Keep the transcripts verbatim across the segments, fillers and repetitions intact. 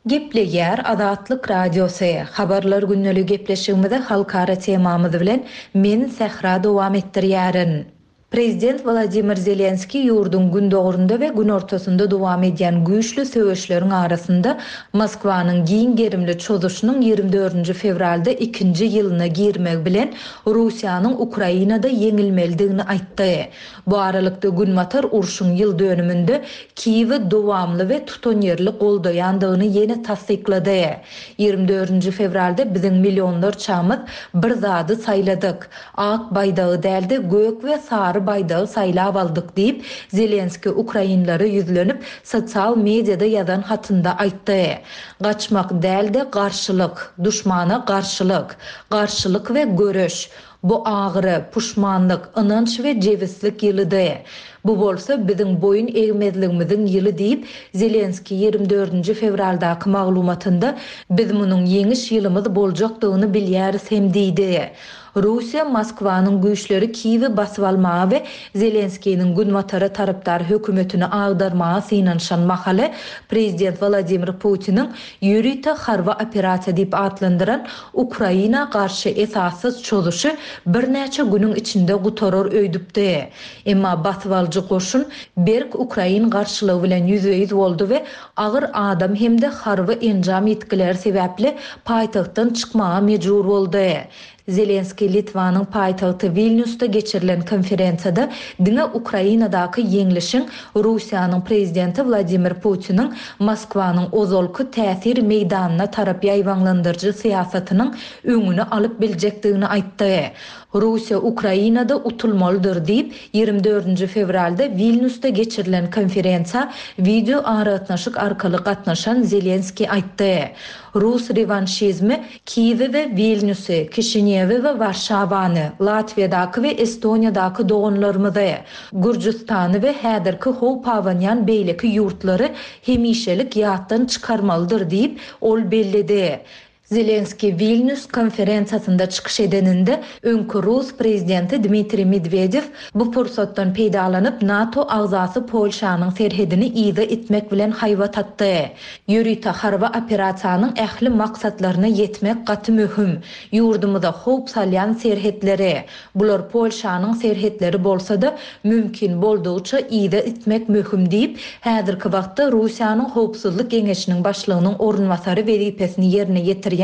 Gepleýär Azatlyk Radiosy, Habarlar gündeligi gepleşigimizi halkara temamyz bilen men Sähra dowam etdirýärin. Prezident Wladimir Zelenskiý ýurduň gündogarynda we günortasynda dowam edýän güýçli söweşleriň arasynda Moskwanyň giň gerimli çozuşynyň ýigrimi dördünji fewralda ikinji ýylyna girmegi bilen Russiýanyň Ukrainada ýeňilmelidigini aýtdy. Bu aralykda, Günbatar urşuň ýyl dönüminde Kiýewi dowamly we tutanýerli goldaýandygyny ýene tassyklady. Ýigrimi dördünji fewralda biziň millionlarçamyz bir zady saýladyk. Ak baýdagy däl-de, gök we sary baýdagy saýlap aldyk diýip, Zelenskiý ukrainlere ýüzlenip, sosial mediada ýazan hatynda aýtdy. Gaçmak däl-de, garşylyk, duşmana garşylyk. Garşylyk we göreş. Bu agyry, puşmanlyk, ynanç we jebislik ýylydy. Bu bolsa biziň boýun egmezligimiziň ýyly diýip, Zelenskiý ýigrimi dördünji fewraldaky maglumatynda biz munuň ýeňiş ýylymyz boljakdygyny bilýäris hem diýdi. Russiýa Moskwanyň güýçleri Kiýewi basyp almaga we Zelenskiniň Günbatara tarapdar hökümetini agdarmaga synanyşan mahaly, prezident Wladimir Putiniň ýörite harby operasiýa diýip atlandyran Ukraina garşy esassyz çozuşy birnäçe günüň içinde gutarar öýdüpdi. Emma basybalyjy goşun berk ukrain garşylygy bilen ýüzbe-ýüz boldy we agyr adam hem-de harby enjam ýitgileri sebäpli paýtagtdan çykmaga mejbur boldy. Zelenskiý Litwanyň paýtagty Wilnýusda geçirilen konferensiýada diňe Ukrainadaky ýeňlişiň Russiýanyň prezidenti Wladimir Putiniň Moskwanyň ozalky täsir meýdanyna tarap ýaýbaňlandyryjy syýasatynyň öňüni alyp biljekdigini aýtdy. Russiýa Ukrainada utulmalydyr diýip, ýigrimi dördünji fewralda Wilnýusda geçirilen konferensiýa wideoaragatnaşyk arkaly gatnaşan Zelenskiý aýtdy. Rus rewanşizmi Kiýewi we Wilnýusy, Kişinýewi we Warşawany, Latwiýadaky we Estoniýadaky doganlarymyzy, Gürjüstany we häzirki howp abanýan beýleki ýurtlary hemişelik ýatdan çykarmalydyr diýip, ol belledi. Zelenskiý Wilnýus konferensiýasynda çykyş edeninde, öňki rus prezidenti Dmitriý Medwedew bu pursatdan peýdalanyp, NATO agzasy Polşanyň serhedini yza itmek bilen haýbat atdy. Ýörite harby operasiýanyň ähli maksatlaryna ýetmek gaty möhüm. Ýurdumyza howp salýan serhetleri, bular Polşanyň serhetleri bolsa-da, mümkin boldugyça yza itmek möhüm diýip, häzirki wagtda Russiýanyň Howpsuzlyk geňeşiniň başlygynyň orunbasary wezipesini ýerine ýetirýän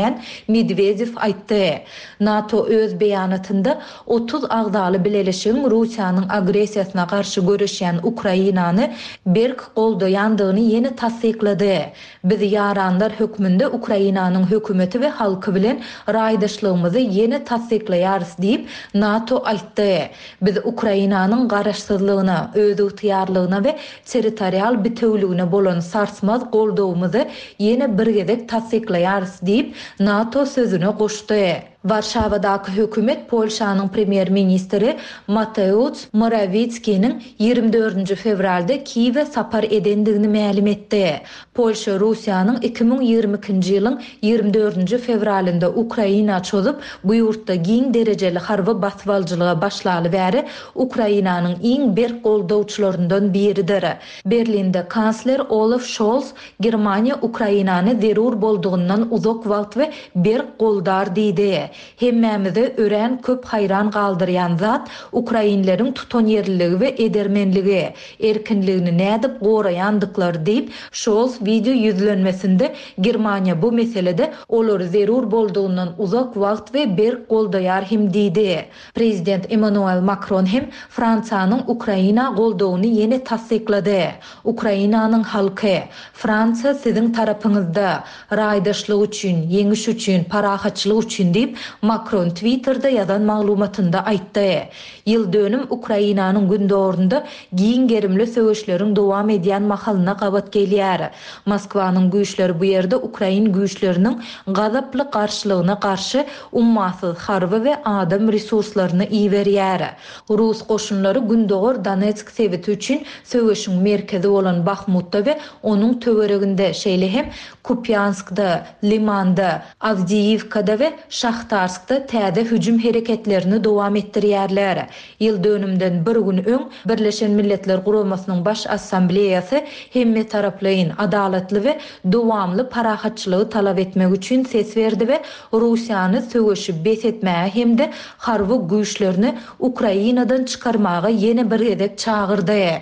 Medwedew aýtdy. NATO öz beýanatynda otuz agzaly bileleşigiň Russiýanyň agressiýasyna garşy göreşýän Ukrainany berk goldaýandygyny ýene tassyklady. Biz ýaranlar hökmünde Ukrainanyň hökümeti we halky bilen raýdaşlygymyzy ýene tassyklaýarys diýip, NATO aýtdy. Biz Ukrainanyň garaşsyzlygyna, özygtyýarlygyna we territorial bitewüligine bolan sarsmaz goldawymyzy ýene bir gezek tassyklaýarys diýip, NATO sözüne goşdy. Warşawadaky hökümet Polşanyň premýer-ministri Mateusz Morawickiniň ýigrimi dördünji fewralda Kiýewe sapar edendigini mälim etdi. Polşa Russiýanyň iki müň ýigrimi ikinji ýylyň ýigrimi dördünji fewralynda Ukraina çozup, bu ýurtda giň derejeli harby basybalyjylyga başlaly bäri Ukrainanyň iň berk goldawçylaryndan biridir. Berlinde kansler Olaf Şolz Germaniýa Ukrainany zerur boldugyndan uzak wagt we berk goldar diýdi. Hemmämizi örän köp haýran galdyrýan zat ukrainleriň tutanýerliligi we edermenligi, erkinligini nädip goraýandyklary diýip, Şolz wideo ýüzlenmesinde Germaniýa bu meselede olary zerur boldugyndan uzak wagt we berk goldaýar hem diýdi. Prezident Emmanuel Makron hem Fransiýanyň Ukraina goldawyny ýene tassyklady. Ukrainanyň halky, Fransiýa siziň tarapyňyzda, raýdaşlyk üçin, ýeňiş üçin, parahatçylyk üçin diýip, Makron Twitterde ýazan maglumatynda aýtdy. Ýyl dönüm Ukrainanyň gündogarynda giň gerimli söweşleriň dowam edýän mahalyna gabat gelýär. Moskwanyň güýçleri bu ýerde ukrain güýçleriniň gazaply garşylygyna garşy ummasyz harby we adam resurslaryny iberýär. Rus goşunlary gündogar Donetsk sebiti üçin söweşiň merkezi bolan Bahmutda we onuň töwereginde, şeýle hem Kupýanskda, Limanda, Awdiýiwkada we Şahtarskda Şahtarskda täze hüjüm hereketlerini dowam etdirýärler. Ýyl dönümden bir gün öň Birleşen Milletler Guramasynyň Baş Assambleýasy hemmetaraplaýyn, adalatly we dowamly parahatçylygy talap etmek üçin ses berdi we Russiýany söweşi bes etmäge hem-de harby güýçlerini Ukrainadan çykarmaga ýene bir gezek çagyrdy.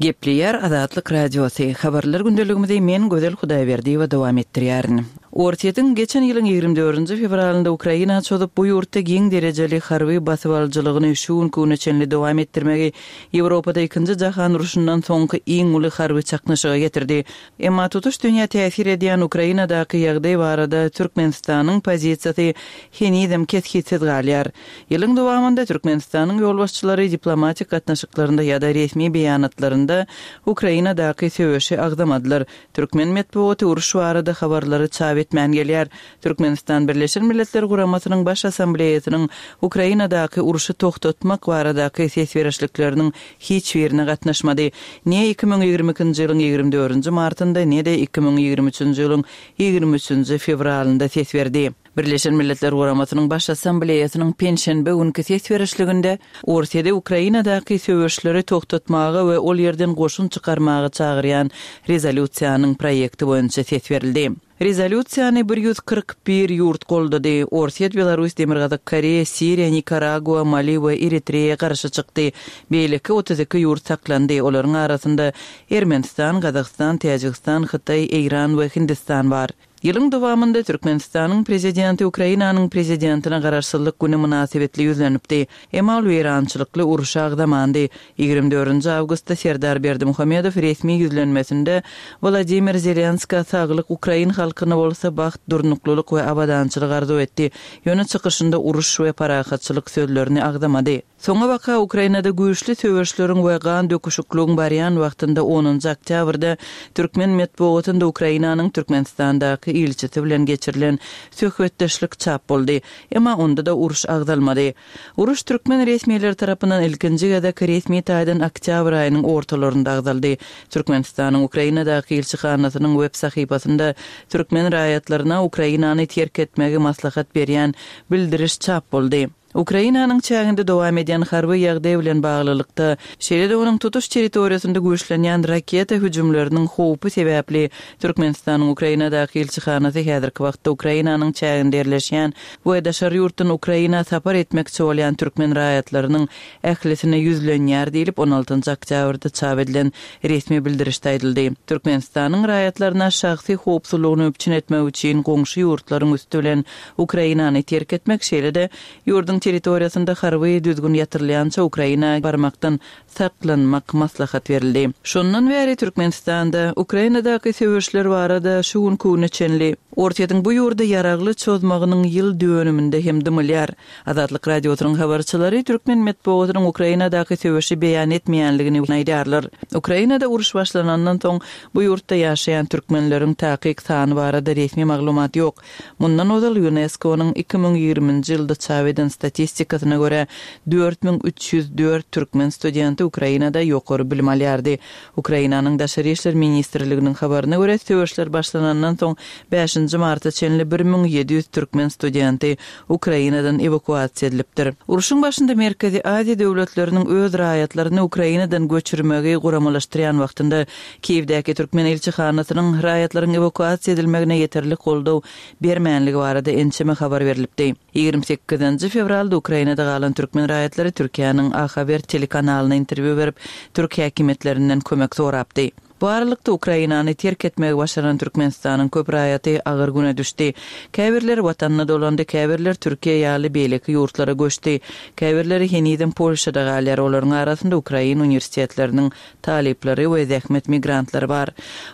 Gepleýär Azatlyk Radiosy. Habarlar gündeligimizi men Gözel Hudaýberdiýewa dowam etdirýärin. Orsýetiň geçen ýylyň ýigrimi dördünji fewralynda Ukraina çozup, bu ýurtda giň derejeli harby basybalyjylygyny şu günki güne çenli dowam etdirmegi Ýewropada Ikinji jahan urşundan soňky iň uly harby çaknyşyga getirdi. Emma tutuş dünýä täsir edýän Ukrainadaky ýagdaý barada Türkmenistanyň pozisiýasy henizem kesgitsiz galýar. Ýylyň dowamynda Türkmenistanyň ýolbaşçylary diplomatik gatnaşyklarynda ýa-da resmi beýanatlarynda Ukrainadaky söweşi agzamadylar. Türkmen metbugaty uruş barada habarlary çap etmän gelýär. Türkmenistan Birleşen Milletler Guramasynyň Baş Assambleýasynyň Ukrainadaky urşy togtatmak baradaky ses berişlikleriniň hiç birine gatnaşmady. Ne iki müň ýigrimi ikinji ýylyň ýigrimi dördünji martynda, ne-de iki müň ýigrimi üçünji ýylyň ýigrimi üçünji fewralynda ses berdi. Birleşen Milletler Guramasynyň Baş Assambleýasynyň penşenbe günki ses berişliginde Orsýeti Ukrainadaky söweşleri togtatmaga we ol ýerden goşun çykarmaga çagyrýan rezolýusiýanyň proýekti boýunça ses berildi. Rezolýusiýany bir ýüz kyrk bir ýurt goldady. Orsýet, Belarus, Demirgazyk Koreýa, Siriýa, Nikaragua, Mali we Eritreýa garşy çykdy. Beýleki otuz iki ýurt saklandy. Olaryň arasynda Ermenistan, Gazagystan, Täjigistan, Hytaý, Eýran we Hindistan bar. Ýylyň dowamynda Türkmenistanyň Prezidenti Ukrainanyň Prezidentine Garaşsyzlyk güni mynasybetli ýüzlenipdi. Emma ol weýrançylykly urşy agzamandy. Ýigrimi dördünji awgustda Serdar Berdimuhamedow resmi ýüzlenmesinde Wladimir Zelenskä saglyk, ukrain halkyna bolsa bagt, durnuklylyk we abadançylyk arzuw etdi. Ýöne çykyşynda uruş we parahatçylyk sözlerini agzamady. Soňabaka Ukrainada güýçli söweşleriň we gan döküşikligiň barýan wagtynda onunjy oktýabrda türkmen metbugatynda Ukrainanyň Türkmenistandaky ilçisi bilen geçirilen söhbetdeşlik çap boldy. Emma onda-da uruş agzalmady. Uruş türkmen resmileri tarapyndan ilkinji gezek resmi taýdan oktýabr aýynyň ortalarynda agzaldy. Türkmenistanyň Ukrainadaky ilçihanasynyň web sahypasynda türkmen raýatlaryna Ukrainany terk etmegi maslahat berýän bildiriş çap boldy. Ukrainanyň çäginde dowam edýän harby ýagdaý bilen baglylykda, şeýle-de onuň tutuş territoriýasynda güýçlenýän raketa hüjümleriniň howpy sebäpli Türkmenistanyň Ukrainadaky ilçihanasy häzirki wagtda Ukrainanyň çäginde ýerleşýän we daşary ýurtdan Ukraina sapar etmekçi bolýan türkmen raýatlarynyň ählisine ýüzlenýär diýlip, on altynjy oktýabrda çap edilen resmi bildirişde aýdyldy. Türkmenistanyň raýatlaryna şahsy howpsuzlygyny üpjün etmek üçin goňşy ýurtlaryň üsti bilen Ukrainany terk etmek, şeýle-de ýurduň territoriýasynda harby düzgün ýatyrylýança Ukraina barmakdan saklanmak maslahat berildi. Şondan bäri Türkmenistanda Ukrainadaky söweşler barada şu günki güne çenli Orsýetiň bu ýurda ýaragly çozmagynyň ýyl dönüminde hem dymylýar. Azatlyk Radiosynyň habarçylary türkmen metbugatynyň Ukrainadaky söweşi beýan etmeýänligini aýdýarlar. Ukrainada uruş başlanandan soň bu ýurtda ýaşaýan türkmenleriň takyk sany barada resmi maglumat ýok. Mundan ozal Ýunesko-nyň iki müň ýigriminji ýylda çap eden statistikasyna görä, dört müň üç ýüz dört türkmen studenti Ukrainada ýokary bilim alýardy. Ukrainanyň Daşary işler ministrliginiň habaryna görä, söweşler başlanandan soň bäşinji marta çenli bir müň ýedi ýüz türkmen studenti Ukrainadan ewakuasiýa edilipdir. Urşuň başynda Merkezi Aziýa döwletleriniň öz raýatlaryny Ukrainadan göçürmegi guramalaşdyrýan wagtynda Kiýewdäki türkmen ilçihanasynyň raýatlaryň ewakuasiýa edilmegine ýeterlik goldaw bermänligi barada ençeme habar berlipdi. Ýigrimi sekizinji fewralda Ukrainada galan türkmen raýatlary Türkiýäniň A Haber telekanalyna interwýu berip, türk häkimiýetlerinden kömek sorapdy. Bu aralykda Ukrainany terk etmegi başaran Türkmenistanyň köp raýaty agyr güne düşdi. Käbirleri watanyna dolandy, käbirleri Türkiýe ýaly beýleki ýurtlara göçdi. Käbirleri henizem Polşada galýar, olaryň arasynda ukrain uniwersitetleriniň talyplary we zähmet migrantlary bar.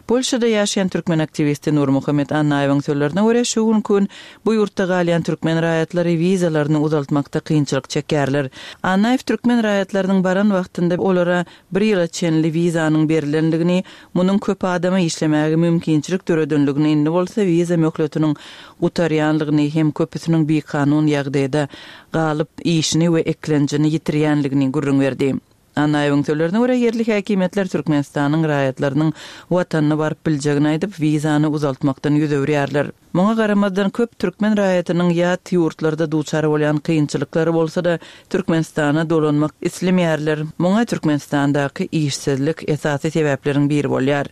Polşada ýaşaýan türkmen aktiwisti Nurmuhammet Annaýewiň sözlerine görä, şu günki gün bu ýurtda galýan türkmen raýatlary wizalaryny uzaltmakda kynçylyk çekýärler. Annaýew türkmen raýatlarynyň baran wagtynda olara bir ýyla çenli wizanyň berlendigini, munuň köp adama işlemäge mümkinçilik döredenligini, indi bolsa wiza möhletiniň gutarýanlygyny hem köpüsiniň bikanun ýagdaýda galyp, işini we eklenjini ýitirýänligini gürrüň berdi. Annaýewiň sözlerine görä, ýerli häkimiýetler Türkmenistanyň raýatlarynyň watanyna baryp biljegini aýdyp, wizany uzaltmakdan ýüz öwürýärler. Muňa garamazdan köp türkmen raýatynyň ýat ýurtlarda duçar bolýan kynçylyklary bolsa-da Türkmenistana dolanmak islemeýärler. Muňa Türkmenistandaky işsizlik esasy sebäpleriň biri bolýar.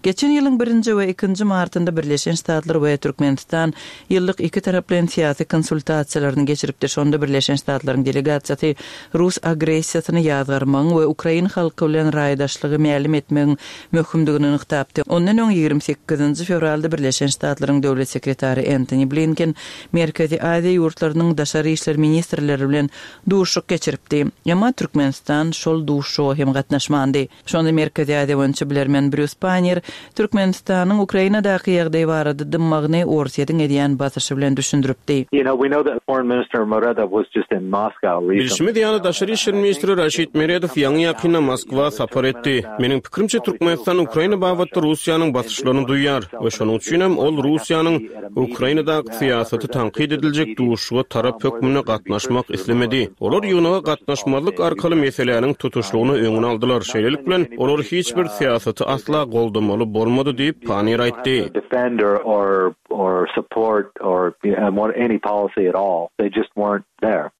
Geçen ýylyň birinji we ikinji martynda Birleşen Ştatlar we Türkmenistan ýyllyk iki taraplaýyn syýasy konsultasiýalaryny geçiripdi. Şonda Birleşen Ştatlaryň delegasiýasy rus agressiýasyny ýazgarmagyň we ukrain halky bilen raýdaşlygy mälim etmegiň möhümdigini nygtapdy. Ondan öň ýigrimi sekizinji fewralda Birleşen Ştatlaryň döwlet sekretary Entoni Blinken Merkezi Aziýa ýurtlarynyň daşary işler ministrleri bilen duşuşyk geçiripdi. Emma Türkmenistan şol duşuşyga hem gatnaşmandy. Şonda Merkezi Aziýa boýunça bilermen Brýus Pannier Türkmenistanyň Ukrainadaky ýagdaý barada dymmagyny Orsýetiň edýän basyşy bilen düşündiripdi. Bilşimiz ýaly, daşary işler ministri Raşid Meredow ýaňy-ýakynda Moskwa sapar etdi. Meniň pikirimçe, Türkmenistan Ukraina babatda Russiýanyň basyşlaryny duýýar we şonuň üçinem ol Russiýanyň Ukrainadaky syýasaty tankyt ediljek duşuşyga tarap hökmünde gatnaşmak islemedi. Olar ýygnaga gatnaşmazlyk arkaly meseläniň tutuşlygyna öňüni aldylar. Şeýlelik bilen, olar hiç bir syýasaty asla goldamaly bolmady diýip, Panniýer aýtdy.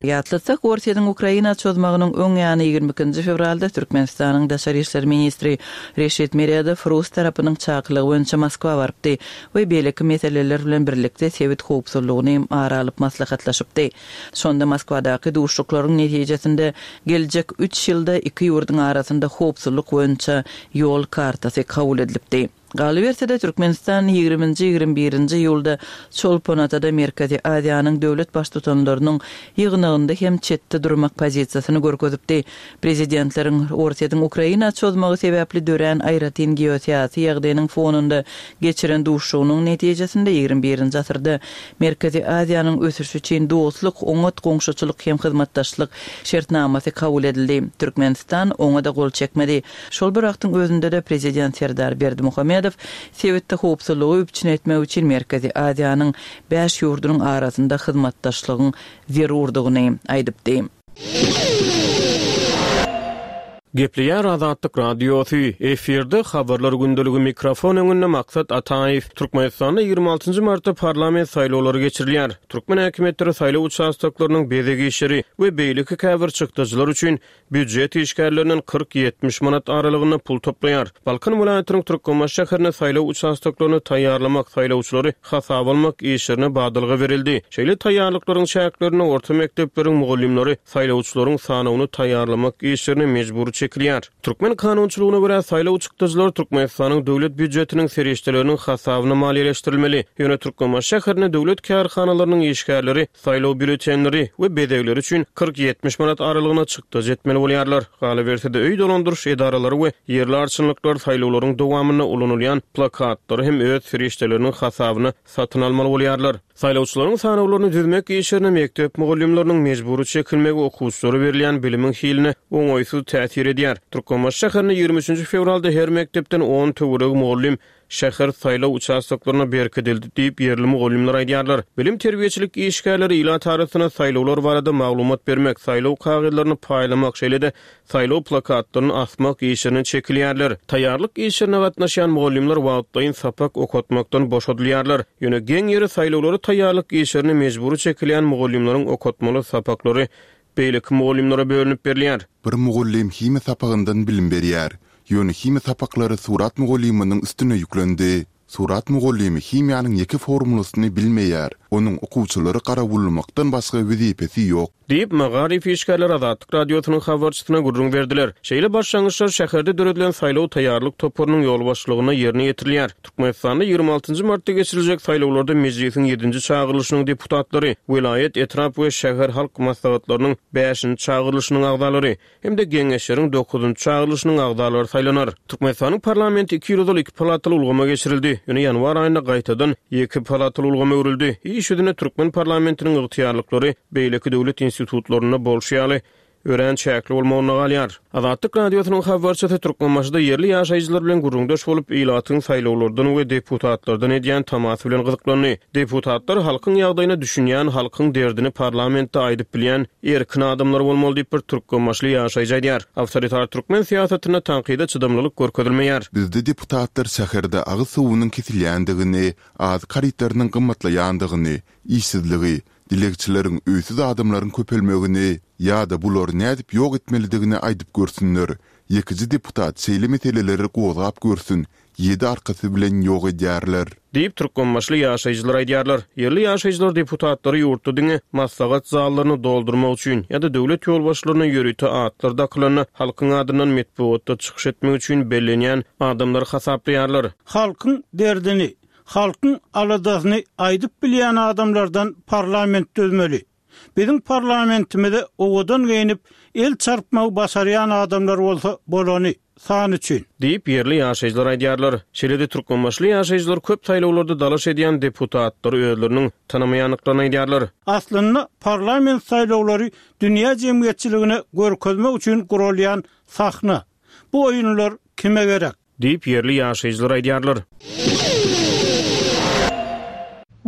Ýatlatsak, Orsýetiň Ukraina çozmagynyň öň ýany ýigrimi ikinji fewralda Türkmenistanyň daşary işler ministri Reşit Meredow rus tarapynyň çakylygy boýunça Moskwa barypdy we beýleki meseleler bilen birlikde sebit howpsuzlygyny ara alyp maslahatlaşypdy. Şonda Moskwadaky duşuşyklaryň netijesinde geljek üç ýylda iki ýurduň arasynda howpsuzlyk boýunça ýol kartasy kabul edilipdi. Galyberse-de, Türkmenistan ýigriminji-ýigrimi birinji iýulda Çolpon-Atada Merkezi Aziýanyň döwlet Baştutanlarynyň ýygnagynda hem çetde durmak pozisiýasyny görkezipdi. Prezidentleriň Orsýetiň Ukraina çozmagy sebäpli dörän aýratyn geosyýasy ýagdaýynyň fonunda geçiren duşuşygynyň netijesinde ýigrimi birinji asyrda Merkezi Aziýanyň ösüşi üçin dostluk, oňat goňşuçylyk hem hyzmatdaşlyk şertnamasy kabul edildi. Türkmenistan oňa-da gol çekmedi. Şol bir wagtyň özünde-de prezident Serdar Berdimuhamedow sebitde howpsuzlygy üpjün etmek üçin Merkezi Aziýanyň bäş ýurdunyň arasynda hyzmatdaşlygyň zerurdygyny aýdypdy. Gepleýär Azatlyk Radiosy, efirde Habarlar gündeligi, mikrofon öňünde Maksat Ataýew. Türkmenistanda ýigrimi altynjy martda parlament saýlawlary geçirilýär. Türkmen häkimiýetleri saýlaw uçastoklarynyň bezeg işleri we beýleki käbir çykdajylar üçin býujet işgärlerinden kyrk-ýetmiş manat aralygynda pul toplaýar. Balkan welaýatynyň Türkmenbaşy şäherinde saýlaw uçastoklaryny taýýarlamak, saýlawçylary hasaba almak işlerine badalga berildi. Şeýle taýýarlyklaryň çäklerinde orta mekdepleriň mugallymlary saýlawçylaryň sanawyny taýýarlamak işlerine mejbury çekilýär. Türkmen kanunçylygyna görä, saýlaw çykdajylary Türkmenistanyň döwlet býujetiniň serişdeleriniň hasabyna maliýeleşdirilmeli. Ýöne Türkmenbaşy şäherinde döwlet kärhanalarynyň işgärleri saýlaw býulletenleri we bezegleri üçin kyrk-ýetmiş manat aralygyna çykdajy etmeli bolýarlar. Galyberse-de, öý dolandyryş edaralary we ýerli arçynlyklar saýlawlaryň dowamynda ulanylýan plakatlary hem öz serişdeleriniň hasabyna satyn almaly bolýarlar. Saýlawçylaryň sanawlaryny düzmek işlerine mekdep mugallymlarynyň mejbury çekilmegi okuwçylara berilýän bilimiň hiline oňaýsyz täsir edýär. Türkmenbaşy şäherinde ýigrimi üçünji fewralda her mekdepden on töweregi mugallym şäher saýlaw uçastoklaryna berkidildi diýip, ýerli mugallymlar aýdýarlar. Bilim-terbiýeçilik işgärleri ilat arasynda saýlawlar barada maglumat bermek, saýlaw kagyzlaryny paýlamak, şeýle-de saýlaw plakatlaryny asmak işlerine çekilýärler. Taýýarlyk işlerine gatnaşýan mugallymlar wagtlaýyn sapak okatmakdan boşadylýarlar. Ýöne geň ýeri saýlawlara taýýarlyk işlerine mejbury çekilýän mugallymlaryň okatmaly sapaklary beýleki mugallymlara bölünip berilýär. Bir mugallym himiýa sapagyndan bilim berýär. Ýöne himiýa sapaklary surat mugallymynyň üstüne ýüklendi. Surat mugallymy himiýanyň ýeke formulasyny bilmeýär. Onuň okuwçylary garawullamakdan başga wezipesi ýok. Diýip, magaryf işgärleri Azatlyk Radiosynyň habarçysyna gürrüň berdiler. Şeýle başlangyçlar şäherde döredilen saýlaw taýýarlyk toparynyň ýolbaşçylygynda ýerine ýetirilýär. Türkmenistanda ýigrimi altynjy martda geçiriljek saýlawlarda Mejlisiň ýedinji çagyrylyşynyň deputatlary, welaýat, etrap we şäher halk maslahatlarynyň bäşinji çagyrylyşynyň agzalary hem-de geňeşleriň dokuzynjy çagyrylyşynyň agzalary saýlanar. Türkmenistanyň parlamenti iki ýyl ozal iki palataly ulgama geçirildi. Ýöne ýanwar aýynda gaýtadan ýeke palataly ulgama öwrüldi. Iş ýüzünde türkmen parlamentiniň ygtyýarlyklary beýleki döwlet institutlarynda bolşy ýaly örän çäkli bolmagynda galýar. Azatlyk Radiosynyň habarçysy Türkmenbaşyda ýerli ýaşaýjylar bilen gürrüňdeş bolup, ilatyň saýlawlardan we deputatlardan edýän tamasy bilen gyzyklandy. Deputatlar halkyň ýagdaýyna düşünýän, halkyň derdini parlamentde aýdyp bilýän erkin adamlar bolmaly diýip bir türkmenbaşyly ýaşaýjy aýdýar. Awtoritar türkmen syýasatynda tankyda çydamlylyk görkezilmeýär. Bizde deputatlar şäherde agyz suwunyň kesilýändigini, azyk harytlarynyň gymmatlaýandygyny, işsizligi, dilegçileriň, öýsüz adamlaryň köpelmegini ýa-da bulary nädip ýok etmelidigini aýdyp görsünler. Ýekeje deputat şeýle meseleleri gozgap görsün, ýedi arkasy bilen ýok edýärler. Diýip, türkmenbaşyly ýaşaýjylar aýdýarlar. Ýerli ýaşaýjylar deputatlary ýurtda diňe maslahat zallaryny doldurmak üçin ýa-da döwlet ýolbaşçylaryna ýörite atlar dakylanda halkyň adyndan metbugatda çykyş etmek üçin bellenýän adamlar hasaplaýarlar. Halkyň derdini, halkyň aladasyny aýdyp bilýän adamlardan parlament düzmeli. Biziň parlamentimize owadan geýnip, el çarpmagy başarýan adamlar bolsa bolany, san üçin. Diýip, ýerli ýaşaýjylar aýdýarlar. Şeýle-de türkmenbaşyly ýaşaýjylar köp saýlawlarda dalaş edýän deputatlary özleriniň tanamaýandyklaryny aýdýarlar. Aslynda parlament saýlawlary dünýä jemgyýetçiligine görkezmek üçin guralýan sahna. Bu oýunlar kime gerek? Diýip, ýerli ýaşaýjylar aýdýarlar.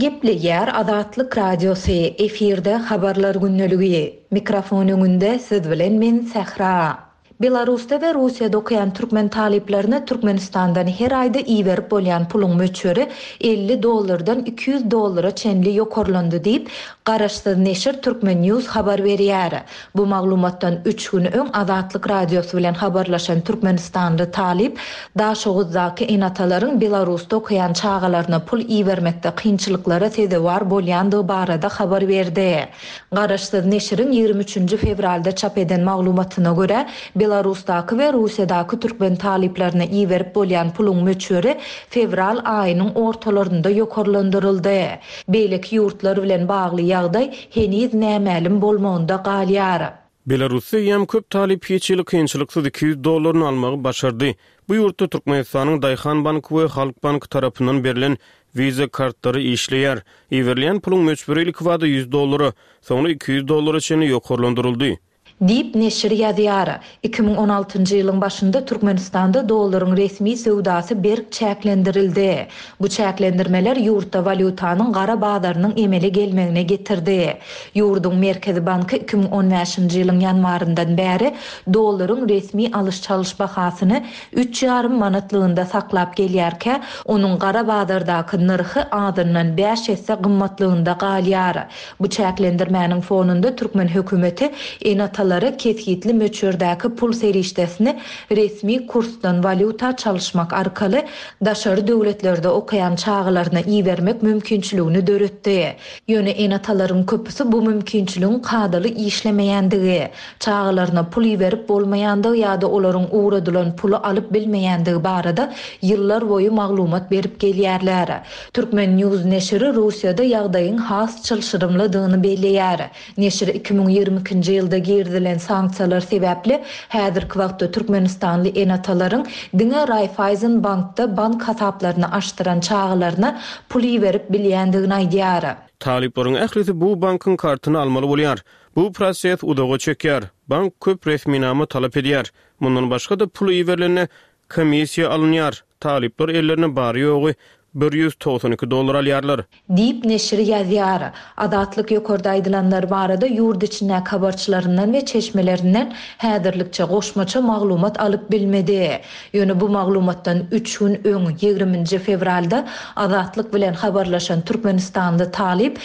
Gepleýär Azatlyk Radiosy, efirde Habarlar gündeligi. Mikrofon öňünde siz bilen men Sähra. Belarusda we Russiýada okaýan türkmen talyplaryna Türkmenistandan her aýda iberip bolýan puluň möçberi elli dollardan iki ýüz dollara çenli ýokarlandy diýip, garaşsyz neşir Turkmen News habar berýär. Bu maglumatdan üç gün öň Azatlyk Radiosy bilen habarlaşan türkmenistanly talyp Daşoguzdaky ene-atalaryň Belarusda okaýan çagalaryna pul ibermekde kynçylyklara sezewar bolýandygy barada habar berdi. Garaşsyz neşiriň ýigrimi üçünji fewralda çap eden maglumatyna görä, Belarusdaky we Russiýadaky türkmen talyplaryna iberip bolýan puluň möçberi fewral aýynyň ortalarynda ýokarlandyryldy. Beýleki ýurtlar bilen bagly ýagdaý heniz nämälim bolmagynda galýar. Belarusda eýýäm köp talyp hiç hili kynçylyksyz iki ýüz dollaryny almagy başardy. Bu ýurtda Türkmenistanyň Daýhan banky we Halk banky tarapyndan berlen Visa kartlary işleýär. Iberilýän puluň möçberi ilkibada ýüz dollara, soňra iki ýüz dollara çenli ýokarlandyryldy. Diýip, neşir ýazýar. Iki müň on altynjy ýylyň başynda Türkmenistanda dollaryň resmi söwdasy berk çäklendirildi. Bu çäklendirmeler ýurtda walýutanyň gara bazarynyň emele gelmegine getirdi. Ýurduň Merkezi banky iki müň on bäşinji ýylyň ýanwaryndan bäri dollaryň resmi alyş-çalyş bahasyny üç ýarym manatlygynda saklap gelýärkä, onuň gara bazardaky nyrhy azyndan bäş esse gymmatlygynda galýar. Bu çäklendirmäniň fonunda türkmen hökümeti ene-atalara kesgitli möçberdäki pul serişdesini resmi kursdan walýuta çalyşmak arkaly daşary döwletlerde okaýan çagalaryna ibermek mümkinçiligini döretdi. Ýöne ene-atalaryň köpüsi bu mümkinçiligiň kadaly işlemeýändigi, çagalaryna pul iberip bolmaýandygy ýa-da olaryň ugradylan puly alyp bilmeýändigi barada ýyllar boýy maglumat berip gelýärler. Turkmen News neşiri Russiýada ýagdaýyň has çylşyrymlydygyny belleýär. Neşir iki müň ýigrimi ikinji ýylda girizilen sanksiýalar sebäpli häzirki wagtda Türkmenistanly ene-atalaryň diňe Raiffeisen bankda bank hasaplaryny açdyran çagalaryna pul iberip bilýändigini aýdýar. Talyplaryň ählisi bu bankyň kartyny almaly bolýar. Bu proses uzaga çekýär. Bank köp resminama talap edýär. Mundan başga-da pul iberilende komissiýa alynýar. Talyplar ellerine bary ýogy bir ýüz togsan iki dollar alýarlar. Diýip neşir ýazýar. Azatlyk ýokarda aýdylanlar barada ýurt içindäki habarçylaryndan we çeşmelerinden häzirlikçe goşmaça maglumat alyp bilmedi. Ýöne bu maglumatdan üç gün öň ýigriminji fewralda Azatlyk bilen habarlaşan Türkmenistanly talyp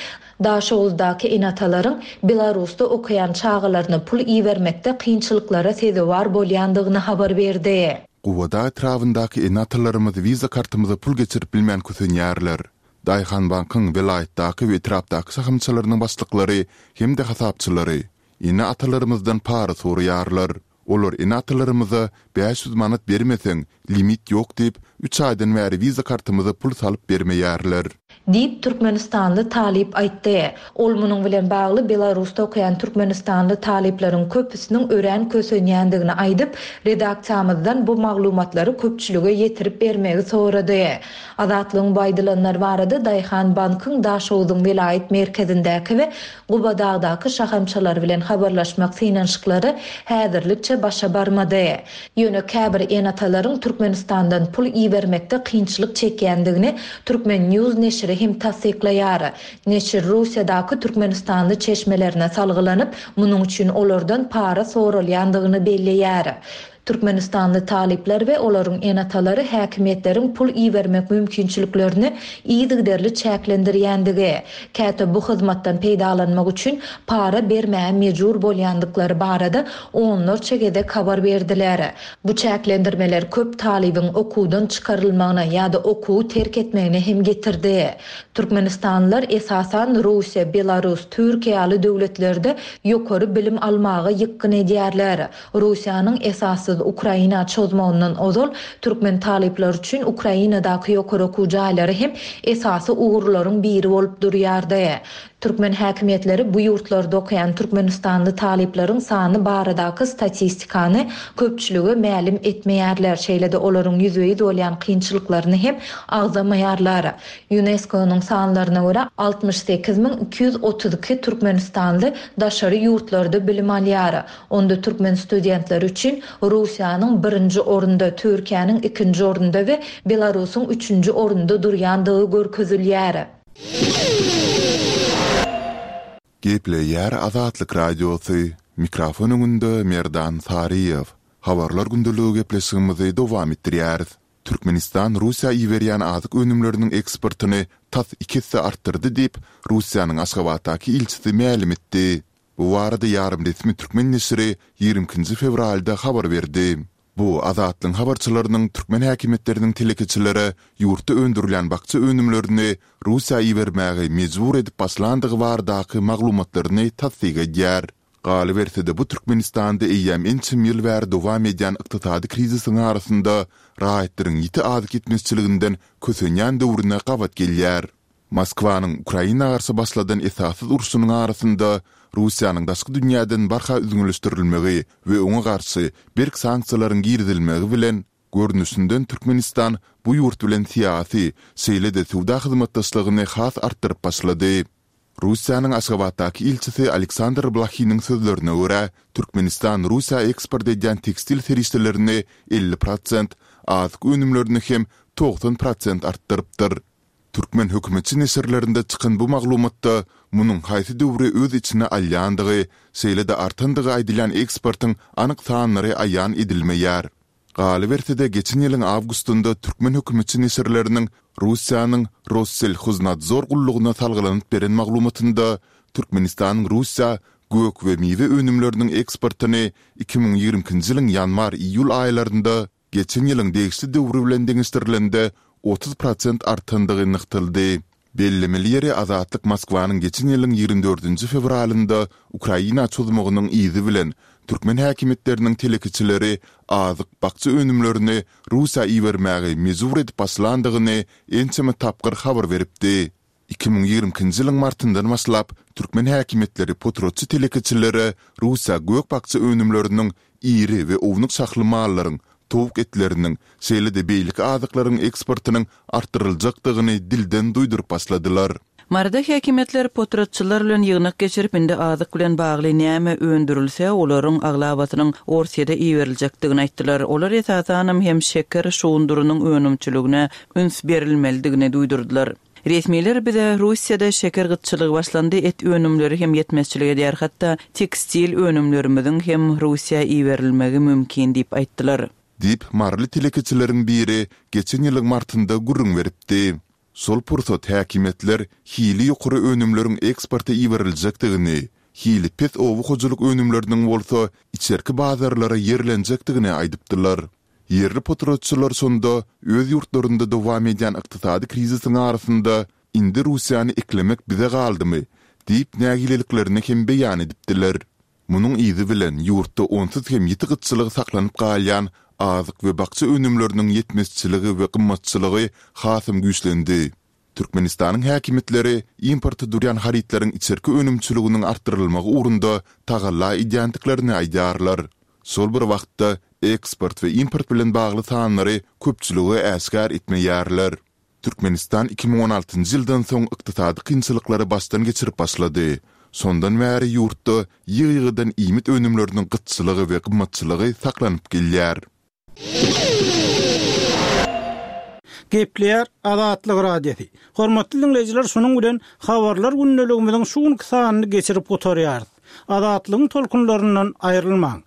Daşoguzdaky ene-atalaryň Belarusda okaýan çagalaryna pul ibermekde kynçylyklara sezewar bolýandygyny habar berdi. Guwada etrabyndaky ene-atalarymyz Visa kartymyza pul geçirip bilmän kösenýärler. Daýhan bankyň welaýatdaky we etrapdaky şahamçalarynyň başlyklary hem-de hasapçylary ene-atalarymyzdan para soraýarlar. Olar ene-atalarymyza bäş ýüz manat bermeseň, limit ýok diýip, üç aýdan bäri Visa kartymyza pul salyp bermeýärler. Diýip, türkmenistanly talyp aýtdy. Ol munuň bilen bagly Belarusda okaýan türkmenistanly talyplaryň köpüsiniň örän kösenýändigini aýdyp, redaksiýamyzdan bu maglumatlary köpçülige ýetirip bermegi sorady. Azatlygyň bu aýdylanlar barada Daýhan bankyň Daşogzuň welaýat merkezindäki we Gubadagdaky şahamçalary bilen habarlaşmak synanyşyklary häzirlikçe başa barmady. Ýöne käbir ene-atalaryň Türkmenistandan pul ibermekde kynçylyk çekýändigini Turkmen. News neşiri hem tassyklaýar. Neşir Russiýadaky türkmenistanly çeşmelerine salgylanyp, munuň üçin olardan para soralýandygyny belleýär. Türkmenistanly talyplar we olaryň ene-atalary häkimiýetleriň pul ibermek mümkinçiliklerini yzygiderli çäklendirýändigi, käte bu hyzmatdan peýdalanmak üçin para bermäge mejbur bolýandyklary barada onlarça gezek habar berdiler. Bu çäklendirmeler köp talybyň okuwdan çykarylmagyna ýa-da okuwy terk etmegine hem getirdi. Türkmenistanlylar esasan Russiýa, Belarus, Türkiýe ýaly döwletlerde ýokary bilim almaga ýykgyn edýärler. Russiýanyň esassyz Ukraina çozmagyndan ozal türkmen talyplary üçin Ukrainadaky ýokary okuw jaýlary hem esasy ugurlaryň biri bolup durýardy. Türkmen häkimiýetleri bu ýurtlarda okaýan türkmenistanly talyplaryň sany baradaky statistikany köpçülige mälim etmeýärler, şeýle-de olaryň ýüzbe-ýüz bolýan kynçylyklaryny hem agzamaýarlar. Ýunesko-nyň sanlaryna görä, altmyş sekiz müň iki ýüz otuz iki türkmenistanly daşary ýurtlarda bilim alýar. Onda türkmen studentleri üçin Russiýanyň birinji orunda, Türkiýäniň ikinji orunda we Belarusyň üçünji orunda durýandygy görkezilýär. Gepleýär Azatlyk Radiosy, mikrofon öňünde Merdan Saryýew. Habarlar gündeligi gepleşigimizi dowam etdirýäris. Türkmenistan Russiýa iberýän azyk önümleriniň eksportyny tas iki esse artdyrdy diýip, Russiýanyň Aşgabatdaky ilçisi mälim etdi. Bu barada ýarym resmi türkmen neşiri ýigrimi ikinji fewralda habar berdi. Bu, Azatlygyň habarçylarynyň türkmen häkimiýetleriniň telekeçilere ýurtda öndürilýän bakja önümlerini Russiýa ibermäge mejbur edip başlandygy baradaky maglumatlaryny tassyk edýär. Galyberse-de, bu Türkmenistanda eýýäm ençeme ýyl bäri dowam edýän ykdysady krizisiň arasynda raýatlaryň ýiti azyk ýetmezçiliginden kösenýän döwrüne gabat gelýär. Moskwanyň Ukraina garşy başladan esassyz urşunyň arasynda Russiýanyň daşky dünýäden barha üzňeleşdirilmegi we oňa garşy berk sanksiýalaryň girizilmegi bilen, görnüşinden Türkmenistan bu ýurt bilen syýasy, şeýle-de söwda hyzmatdaşlygyny has artdyryp başlady. Russiýanyň Aşgabatdaky ilçisi Aleksandr Blahiniň sözlerine görä, Türkmenistan Russiýa eksport edýän tekstil serişdelerini elli prosent, azyk önümlerini hem togsan prosent artdyrypdyr. Türkmen hökümetçi neşirlerinde çykan bu maglumatda munuň haýsy döwri öz içine alýandygy, şeýle-de artandygy aýdylýan eksportyň anyk sanlary aýan edilmeýär. Galyberse-de, geçen ýylyň awgustynda türkmen hökümetçi neşirleriniň Russiýanyň Rosselhoznadzor gullugyna salgylanyp beren maglumatynda Türkmenistanyň Russiýa gök we miwe önümleriniň eksportyny iki müň ýigrimi ikinji ýylyň ýanwar-iýul aýlarynda geçen ýylyň degişli döwri bilen deňeşdirilende otuz prosent artandygy nygtaldy. Bellemeli ýeri, Azatlyk Moskwanyň geçen ýylyň ýigrimi dördünji fewralynda Ukraina çozmagynyň yzy bilen türkmen häkimiýetleriniň telekeçileri azyk, bakja önümlerini Russiýa ibermäge mejbur edip başlandygyny ençeme tapgyr habar beripdi. Iki müň ýigrimi ikinji ýylyň martyndan başlap, türkmen häkimiýetleri potratçy telekeçilere Russiýa gök-bakja önümleriniň, iri we ownuk şahly mallaryň, towuk etleriniň, şeýle-de beýleki azyklaryň eksportynyň artdyryljakdygyny dilden duýduryp başladylar. Maryda häkimiýetler potratçylar bilen ýygnak geçirip, indi azyk bilen bagly näme öndürilse, olaryň aglabasynyň Orsýete iberiljekdigini aýtdylar. Olar esasanam hem şeker şugundyrynyň önümçiligine üns berilmelidigini duýdurdylar. Resmiler bize Russiýada şeker gytçylygy başlandy, et önümleri hem ýetmezçilik edýär, hatda tekstil önümlerimiziň hem Russiýa iberilmegi mümkin diýip aýtdylar. Diýip, maryly telekeçileriň biri geçen ýylyň martynda gürrüň beripdi. Şol pursat häkimiýetler hili ýokary önümleriň eksporta iberiljekdigini, hili pes oba hojalyk önümleriniň bolsa içerki bazarlara ýerlenjekdigini aýdypdylar. Ýerli potratçylar şonda öz ýurtlarynda dowam edýän ykdysady krizisiň arasynda indi Russiýany eklemek bize galdymy diýip nägileliklerini hem beýan edipdiler. Munuň yzy bilen ýurtda onsuz hem ýiti gytçylygy saklanyp galýan azyk we bakja önümleriniň ýetmezçiligi we gymmatçylygy hasam güýçlendi. Türkmenistanyň häkimiýetleri importa durýan harytlaryň içerki önümçiliginiň artdyrylmagy ugrunda tagalla edýändiklerini aýdýarlar. Şol bir wagtda, eksport we import bilen bagly sanlary köpçülige äşgär etmeýärler. Türkmenistan iki müň on altynjy ýyldan soň ykdysady kynçylyklary başdan geçirip başlady. Şondan bäri ýurtda ýygy-ýygydan iýmit önümleriniň gytçylygy we gymmatçylygy saklanyp gelýär. Gepleýär Azatlyk Radiosy. Hormatly diňleýjiler şunuň bilen Habarlar gündeligimiziň şu günki sanyny geçirip gutarýarys. Azatlygyň tolkunlaryndan aýrylmaň!